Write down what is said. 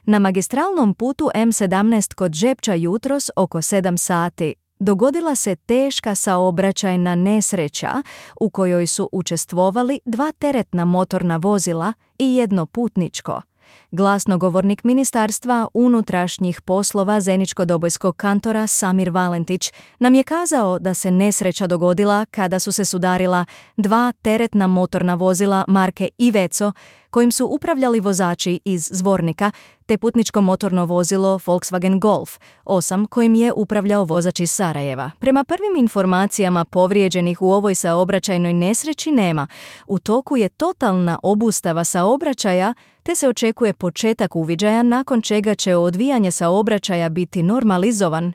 Na magistralnom putu M17 kod Žepča jutros oko 7 sati dogodila se teška saobraćajna nesreća u kojoj su učestvovali 2 teretna motorna vozila i jedno putničko. Glasnogovornik Ministarstva unutrašnjih poslova Zeničko-Dobojskog kantora Samir Valentić nam je kazao da se nesreća dogodila kada su se sudarila 2 teretna motorna vozila marke Iveco kojim su upravljali vozači iz Zvornika te putničko motorno vozilo Volkswagen Golf 8 kojim je upravljao vozač iz Sarajeva. Prema prvim informacijama povrijeđenih u ovoj saobraćajnoj nesreći nema. U toku je totalna obustava saobraćaja te se očekuje početak uviđaja nakon čega će odvijanje saobraćaja biti normalizovan